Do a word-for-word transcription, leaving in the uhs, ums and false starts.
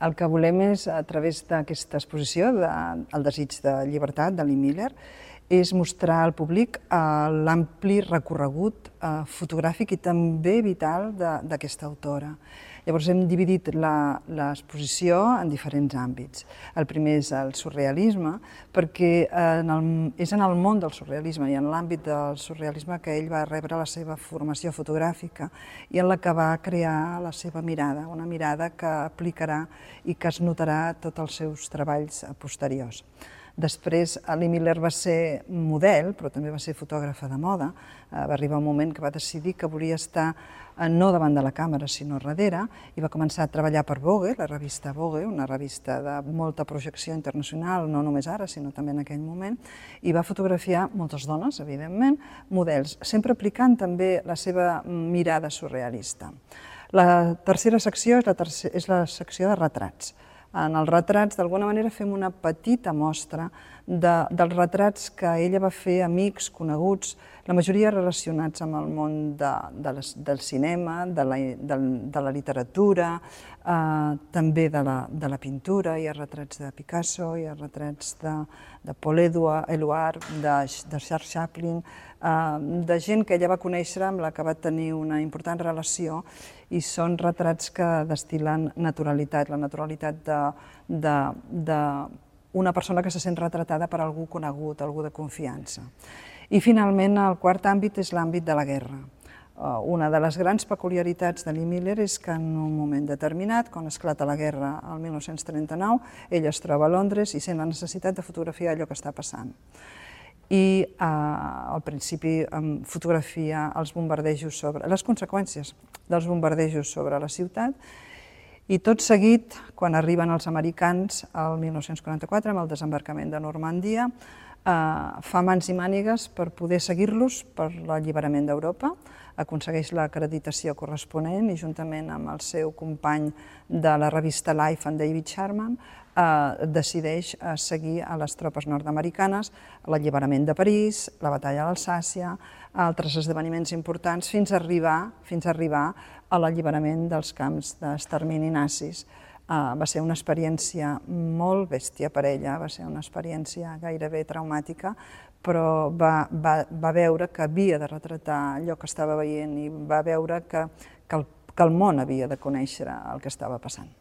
El que volem és, a través d'aquesta exposició, de, El desig de llibertat, de Lee Miller, és mostrar al públic l'ampli recorregut fotogràfic i també vital d'aquesta autora. Llavors hem dividit l'exposició en diferents àmbits. El primer és el surrealisme, perquè és en el món del surrealisme i en l'àmbit del surrealisme que ell va rebre la seva formació fotogràfica i en la que va crear la seva mirada, una mirada que aplicarà i que es notarà a tots els seus treballs posteriors. Després, Lee Miller va ser model, però també va ser fotògrafa de moda. Va arribar un moment que va decidir que volia estar no davant de la càmera, sinó darrere, i va començar a treballar per Vogue, la revista Vogue, una revista de molta projecció internacional, no només ara, sinó també en aquell moment, i va fotografiar moltes dones, evidentment, models, sempre aplicant també la seva mirada surrealista. La tercera secció és la secció de retrats. En els retrats, d'alguna manera, fem una petita mostra dels retrats que ella va fer amics, coneguts, la majoria relacionats amb el món del cinema, de la literatura, també de la pintura. Hi ha retrats de Picasso, hi ha retrats de Paul Éluard, de Charles Chaplin, de gent que ella va conèixer, amb la que va tenir una important relació, i són retrats que destil·len naturalitat, la naturalitat d'una persona que se sent retratada per algú conegut, algú de confiança. I finalment el quart àmbit és l'àmbit de la guerra. Una de les grans peculiaritats de Lee Miller és que en un moment determinat, quan esclata la guerra el mil nou-cents trenta-nou, ella es troba a Londres i sent la necessitat de fotografiar allò que està passant. I al principi fotografia els bombardejos sobre les conseqüències dels bombardejos sobre la ciutat, i tot seguit, quan arriben els americans el mil nou-cents quaranta-quatre, amb el desembarcament de Normandia, fa mans i mànigues per poder seguir-los per l'alliberament d'Europa, aconsegueix l'acreditació corresponent i juntament amb el seu company de la revista Life, en David Sharman, decideix seguir a les tropes nord-americanes, l'alliberament de París, la batalla d'Alsàcia, altres esdeveniments importants, fins a arribar a l'alliberament dels camps d'extermini nazis. Va ser una experiència molt bèstia per ella, va ser una experiència gairebé traumàtica, però va veure que havia de retratar allò que estava veient i va veure que el món havia de conèixer el que estava passant.